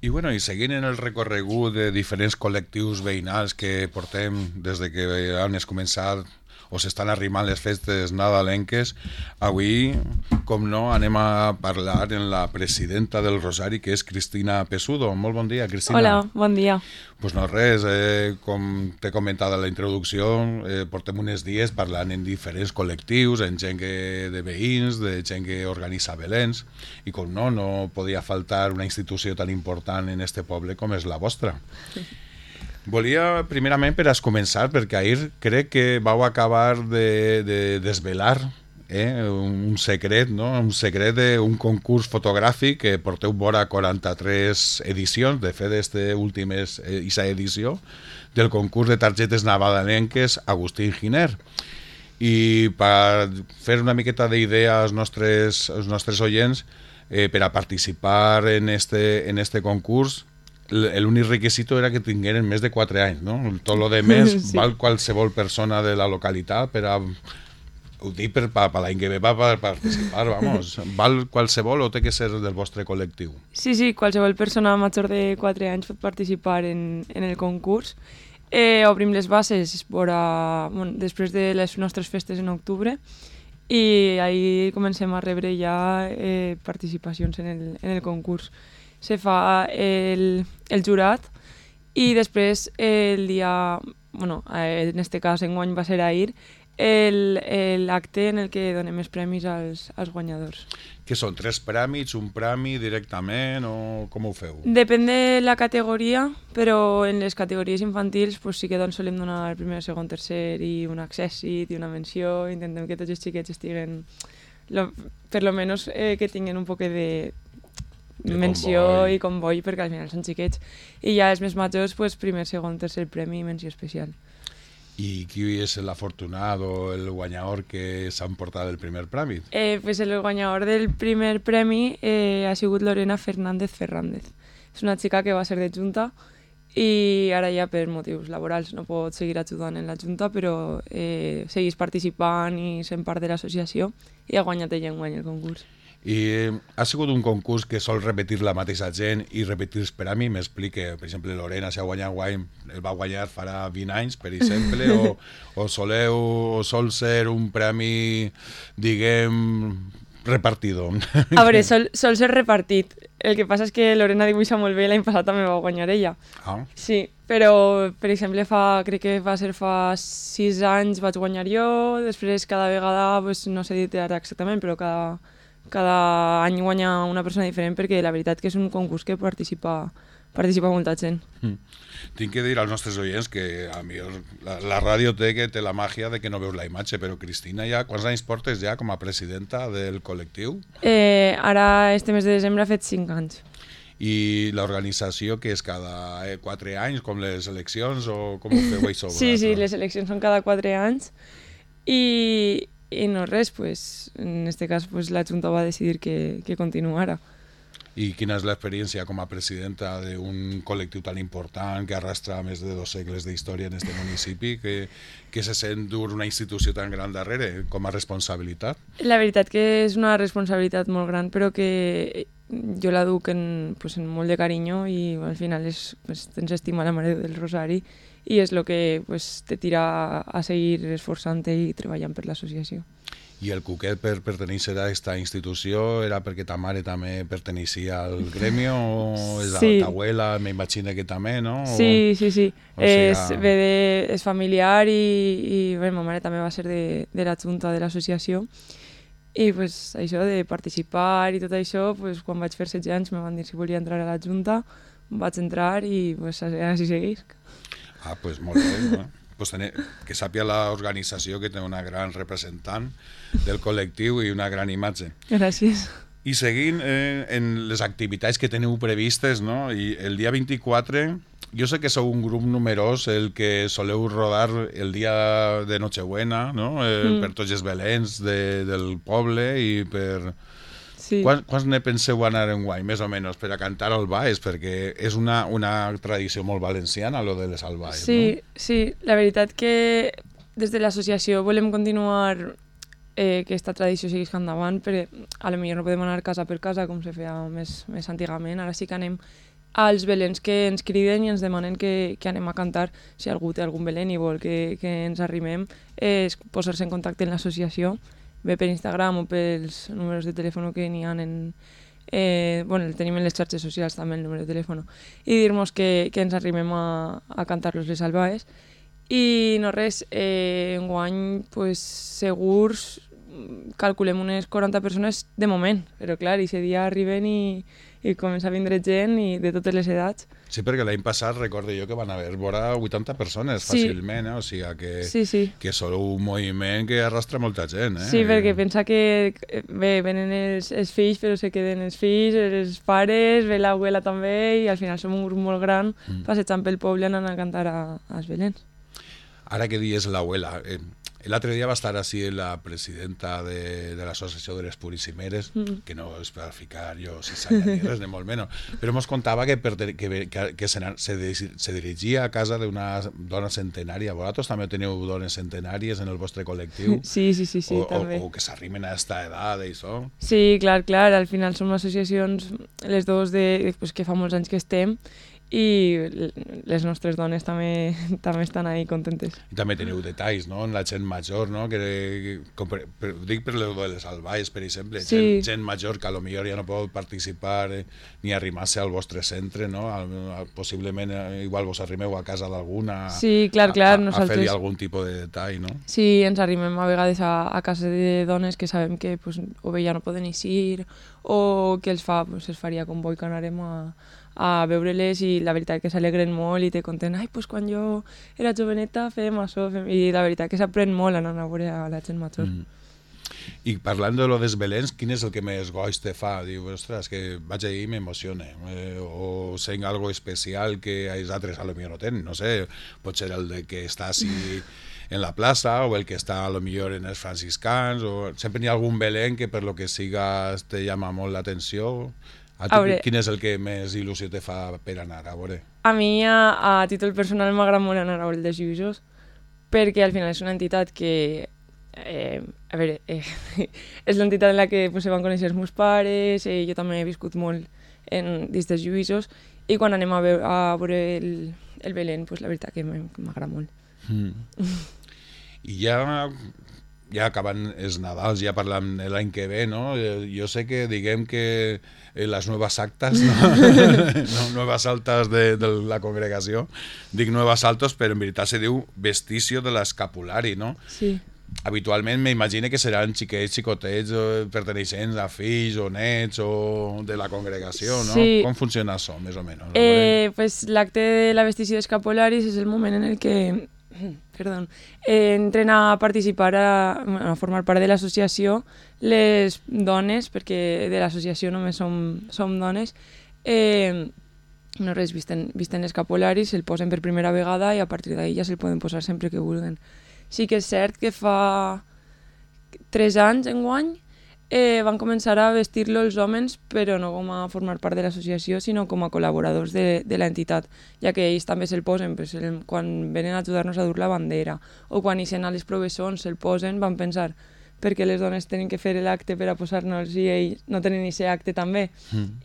I, bueno, i seguint en el recorregut de diferents col·lectius veïnals que portem des de que han començat o s'estan arrimant les festes nadalenques, avui, com no, anem a parlar amb la presidenta del Rosari, que és Cristina Pesudo. Molt bon dia, Cristina. Hola, bon dia. Pues no res, com t'he comentat a la introducció, portem uns dies parlant en diferents col·lectius, en gent de veïns, de gent que organitza Belens, i com no, no podia faltar una institució tan important en este poble com és la vostra. Volia, primerament, per a començar, perquè ahir crec que vau acabar de desvelar un secret, no? Un secret d'un concurs fotogràfic que porteu vora 43 edicions, de fet, aquesta última és aquesta edició, del concurs de targetes nadalenques Agustín Giner. I per fer una miqueta d'idea als nostres oients, per a participar en este concurs, l'únic requisito era que tingueren més de 4 anys, no? Tot lo de més sí. Val qualsevol persona de la localitat per a... Ho dic per l'any que ve per participar, vamos. Val qualsevol o té que ser del vostre col·lectiu? Sí, qualsevol persona major de 4 anys pot participar en el concurs. Obrim les bases després de les nostres festes en octubre i ahir comencem a rebre ja participacions en el concurs. Se fa el jurat i després el dia, en este cas enguany va ser ahir, l'acte en el que donem els premis als guanyadors. Que són 3 premis, un premi directament o com ho feu? Depèn de la categoria, però en les categories infantils sí que solem donar el primer, segon, tercer i un accèssit i una menció. Intentem que tots els xiquets estiguen, per lo menos que tinguin un poc de menció i comboi, perquè al final són xiquets. I ja els més majors, primer, segon, tercer premi i menció especial. I qui és l'afortunat o el guanyador que s'han portat el primer premi? El guanyador del primer premi ha sigut Lorena Fernández. És una xica que va ser de Junta i ara ja per motius laborals no pot seguir ajudant en la Junta, però segueix participant i sent part de l'associació i ha guanyat ella enguany el concurs. I ha sigut un concurs que sol repetir la mateixa gent i repetir els premis? M'explique, per exemple, Lorena, si ha guanyat guany, el va guanyar farà 20 anys, per exemple, o sol ser un premi, diguem, repartido? A veure, sol ser repartit. El que passa és que Lorena dibuixa molt bé i l'any passat també va guanyar ella. Ah. Sí, però, per exemple, crec que va ser fa 6 anys vaig guanyar jo, després cada vegada, no sé dir ara exactament, però cada any guanya una persona diferent perquè la veritat que és un concurs que participa molta gent. Tinc que dir als nostres oients que a mi la ràdio té la màgia de que no veus la imatge, però Cristina, quants anys portes ja com a presidenta del col·lectiu? Ara, este mes de desembre, ha fet 5 anys. I l'organització, que és cada 4 anys, com les eleccions, o com ho feu això? Sí, les eleccions són cada 4 anys i no res, en este cas la Junta va decidir que continuara. I quina és l'experiència com a presidenta d'un col·lectiu tan important que arrastra més de 2 segles d'història en este municipi, que se sent dur una institució tan gran darrere com a responsabilitat? La veritat que és una responsabilitat molt gran, però que jo la duc en molt de carinyo i al final tens estima a la Mare del Rosari i és el que te tira a seguir esforçant-te i treballant per l'associació. I el cuquet per pertenèixer a aquesta institució era perquè ta mare també perteneixia al gremi o és sí. Ta abuela, m'imagino que també, no? Sí. És familiar i ma mare també va ser de la junta de l'associació i això de participar i tot això, quan vaig fer 16 anys me van dir si volia entrar a la junta, vaig entrar i així segueix. Ah, molt bé, no? Que sàpia l'organització que té una gran representant del col·lectiu i una gran imatge. Gràcies. I seguint en les activitats que teniu previstes, no? I el dia 24, jo sé que sou un grup numerós el que soleu rodar el dia de Nochebuena, no? Per tots els belens del poble i per... Sí. Quants ne penseu anar enguany, més o menys, per a cantar al baix? Perquè és una tradició molt valenciana, lo de les albaes, sí, no? Sí, la veritat que des de l'associació volem continuar que aquesta tradició seguís endavant, però a lo millor no podem anar casa per casa com se feia més antigament, ara sí que anem als belens que ens criden i ens demanen que anem a cantar. Si algú té algun belén i vol que ens arrimem, és posar-se en contacte amb l'associació, bé per Instagram o pels números de telèfon que n'hi ha bueno, el tenim en les xarxes socials també, el número de telèfon, i dir-nos que ens arrimem a cantar-los les albaes. I no res, enguany pues, segurs calculem unes 40 persones de moment, però clar, i dia arriben i comença a vindre gent i de totes les edats. Sí, perquè l'any passat recordo jo que van haver vora 80 persones fàcilment, o sigui que són un moviment que arrastra molta gent. Sí, perquè pensa que bé, venen els fills, però se queden els fills, els pares, ve l'abuela també, i al final som un grup molt gran passejant pel poble anant a cantar als belens. Ara que dius l'abuela, l'altre dia va estar així la presidenta de l'Associació de les Puríssimeres, que no és per ficar jo ciçanya ni res, ni molt menys, però ens contava que se dirigia a casa d'una dona centenària. Vosaltres també teniu dones centenàries en el vostre col·lectiu? Sí, també. O que s'arrimen a aquesta edat i això? Sí, clar, al final som associacions, les dues que fa molts anys que estem, i les nostres dones també estan ahí contentes. I també teniu detalls, no?, en la gent major, no?, dic per les albaes, per exemple, gent major que potser ja no pot participar ni arrimar-se al vostre centre, no?, possiblement igual vos arrimeu a casa d'alguna a fer-li algun tipus de detall, no? Sí, ens arrimem a vegades a casa de dones que sabem que o bé ja no poden eixir o que es faria com boi que anarem a veure-les, i la veritat que s'alegren molt i te conten, quan jo era joveneta fèiem això, i la veritat que s'aprèn molt anant a veure a la gent major. I parlant de lo dels belens, quin és el que més goig te fa? Diu, ostres, que vaig ahir i m'emociona, o sent algo especial que els altres potser no tenen, no sé, pot ser el de que està així en la plaça, o el que està potser en els franciscans, o sempre n'hi ha algun belén que per lo que siga te llama molt l'atenció. Quin és el que més il·lusió te fa per anar a veure? A mi, a títol personal, m'agrada molt anar a veure els lluïsos, perquè al final és una entitat que és l'entitat en la que se van conèixer els meus pares, jo també he viscut molt dins dels lluïsos, i quan anem a veure el Belén, la veritat que m'agrada molt. I ja acabant els Nadals, ja parlant l'any que ve, no? Jo sé que diguem que les noves actes, no noves altes de la congregació, dic noves altos, però en veritat se diu vesticio de l'escapulari, no? Sí. Habitualment m'imagino que seran xiquets, xicotets perteneixents a fills o nets o de la congregació, no? Sí. Com funciona això, més o menys? L'acte de la vestició d'escapularis és el moment en el que entren a participar, a formar part de l'associació les dones, perquè de l'associació només som dones, no res, visten escapularis, se'l posen per primera vegada i a partir d'ahir ja se'l poden posar sempre que vulguen. Sí que és cert que fa 3 anys enguany van començar a vestir-lo els homes, però no com a formar part de l'associació, sinó com a col·laboradors de l'entitat, ja que ells també se'l posen, quan venen a ajudar-nos a dur la bandera, o quan ixen a les provessons se'l posen, van pensar, perquè les dones tenen que fer l'acte per a posar-nos i ells no tenen aquest acte també.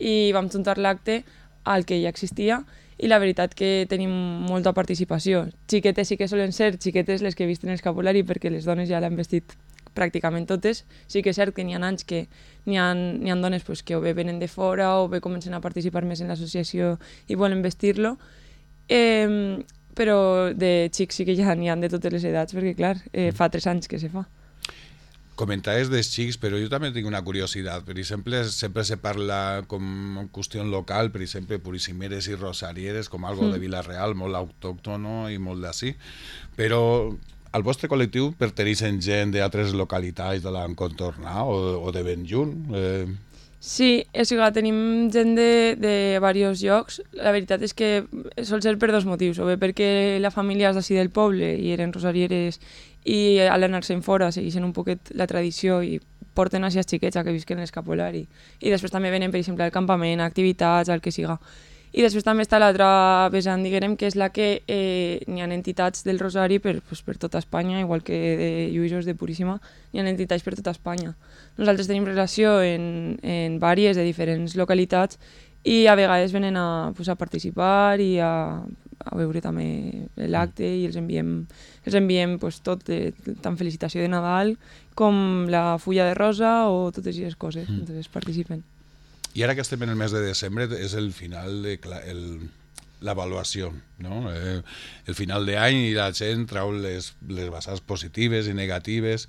I vam juntar l'acte al que ja existia, i la veritat que tenim molta participació. Xiquetes sí que solen ser xiquetes les que visten escapulari, perquè les dones ja l'han vestit pràcticament totes. Sí que és cert que n'hi ha anys que n'hi ha dones que o bé venen de fora o bé comencen a participar més en l'associació i volen vestir-lo, però de xics sí que ja n'hi ha de totes les edats, perquè clar, fa 3 anys que se fa. Comentaves dels xics, però jo també tinc una curiositat. Per exemple, sempre se parla com qüestió local, per exemple, puríssimeres i rosarieres, com algo de Vila-real, molt autòctono i molt d'ací, però al vostre col·lectiu perteneixen gent d'altres localitats de l'encontornà o de ben lluny? Sí, tenim gent de diversos llocs. La veritat és que sol ser per 2 motius, o bé perquè la família és d'ací del poble i eren rosarieres i a l'anar-se'n fora segueixen un poquet la tradició i porten així els xiquets a que visquen l'escapulari. I després també venen, per exemple, al campament, a activitats, al que siga. I després també està l'altra vessant, diguem, que és la que n'hi ha entitats del Rosari per tota Espanya, igual que de Lluïsos de Puríssima, n'hi ha entitats per tota Espanya. Nosaltres tenim relació en vàries de diferents localitats i a vegades venen a participar i a veure també l'acte i els enviem pues, tot, tant felicitació de Nadal com la fulla de rosa o totes aquestes coses, entonces participen. I ara que estem en el mes de desembre és el final de l'avaluació, no? El final d'any i la gent trau les vessants positives i negatives.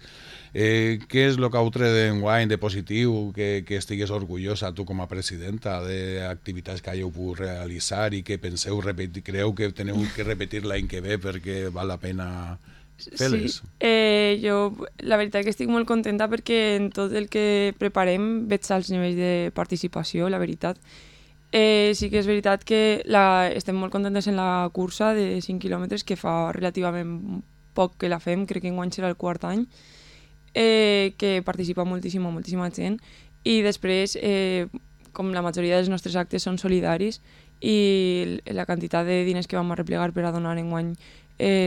Què és el que heu tret d'enguany de positiu que estigues orgullosa tu com a presidenta d'activitats que hàgiu pogut realitzar i que penseu repetir, creu que teniu que repetir l'any que ve perquè val la pena fer-les? Sí, jo la veritat que estic molt contenta perquè en tot el que preparem veig els nivells de participació, la veritat. Sí que és veritat que estem molt contentes en la cursa de 5 quilòmetres, que fa relativament poc que la fem, crec que enguany serà el quart any, que participa moltíssima gent, i després, com la majoria dels nostres actes són solidaris, i la quantitat de diners que vam arreplegar per a donar enguany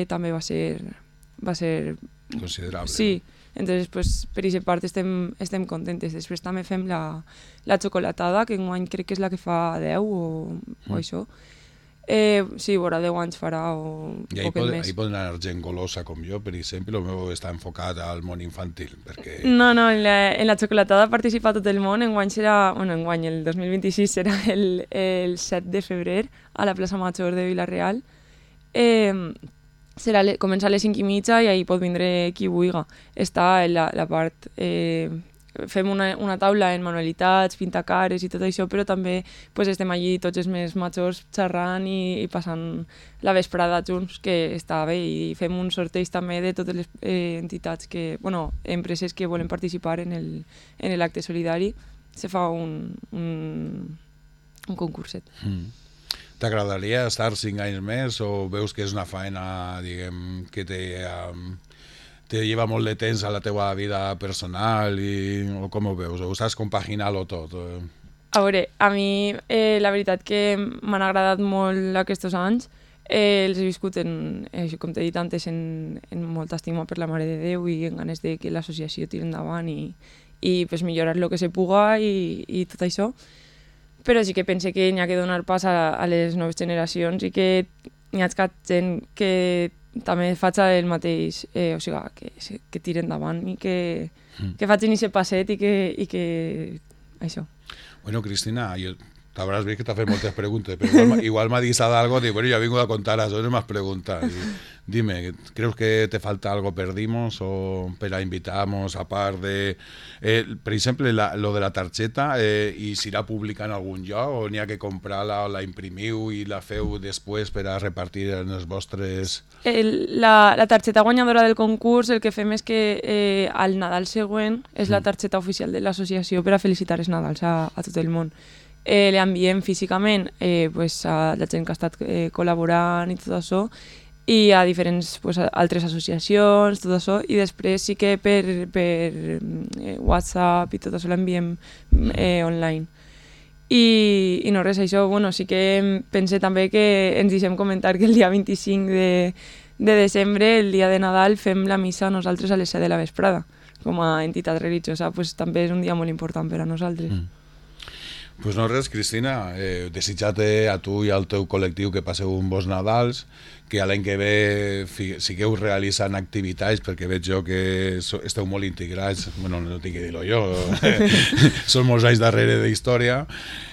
també va ser considerable. Sí, entonces pues, per aquesta part estem contentes. Després també fem la xocolatada, que enguany crec que és la que fa 10 o això. Sí, vora 10 anys farà o poquet més. I poden anar gent golosa com jo, per exemple, el meu està enfocat al món infantil. Perquè... No, en la xocolatada participa tot el món. Enguany serà, el 2026 serà el 7 de febrer a la plaça Major de Vila-real. Comença a les 5:30 i ahir pot vindre qui vulgui. Està en la part... fem una taula en manualitats, pintacares i tot això, però també pues, estem allí tots els més majors xerrant i passant la vesprada junts, que està bé, i fem un sorteig també de totes les entitats, empreses que volen participar en l'acte solidari. Se fa un concurset. T'agradaria estar 5 anys més o veus que és una feina, diguem, que te lleva molt de temps a la teva vida personal o com ho veus? O saps compaginar-ho tot? A veure, a mi la veritat que m'han agradat molt aquests anys. Els he viscut, com t'he dit antes, en molta estima per la Mare de Déu i en ganes de que l'associació tiri endavant i pues, millorar el que se puga i tot això. Però sí que pense que n'hi ha que donar pas a les noves generacions i que n'hi ha gent que també faci el mateix, o sigui, que tiri endavant i que facin aquest passet i que això. Bueno, Cristina, t'hauràs vist que t'ha fet moltes preguntes, però igual m'ha dit algo de, bueno, yo vengo a contar las más preguntas. Dime, ¿crees que te falta algo perdimos o para invitamos a par de, por ejemplo, lo de la targeta, y si la publica en algún lloc o n'hi ha que comprar-la o la imprimiu i la feu després per a repartir en els vostres... La targeta guanyadora del concurs, el que fem és que al Nadal següent és la targeta oficial de l'associació per a felicitar els Nadals a tot el món. L'enviem físicament pues, a la gent que ha estat col·laborant i tot això, i a diferents pues, altres associacions, tot això, i després sí que per WhatsApp i tot això l'enviem online. I no res, això, sí que pense també que ens deixem comentar que el dia 25 de desembre, el dia de Nadal, fem la missa nosaltres a les 7 de la vesprada, com a entitat religiosa, pues, també és un dia molt important per a nosaltres. Pues no res, Cristina, desitjar-te a tu i al teu col·lectiu que passeu un bons Nadals, que l'any que ve sigueu realitzant activitats, perquè veig jo que esteu molt integrats, bueno, no tinc que dir-ho jo, són molts anys darrere d'història,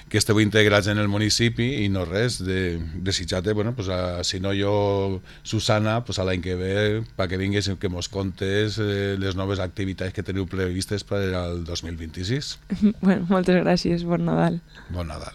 que esteu integrats en el municipi i no res, desitjar-te, bueno, pues si no jo, Susana, pues a l'any que ve, perquè vingues que mos contes les noves activitats que teniu previstes per al 2026. Bueno, moltes gràcies, bon Nadal. Bon Nadal.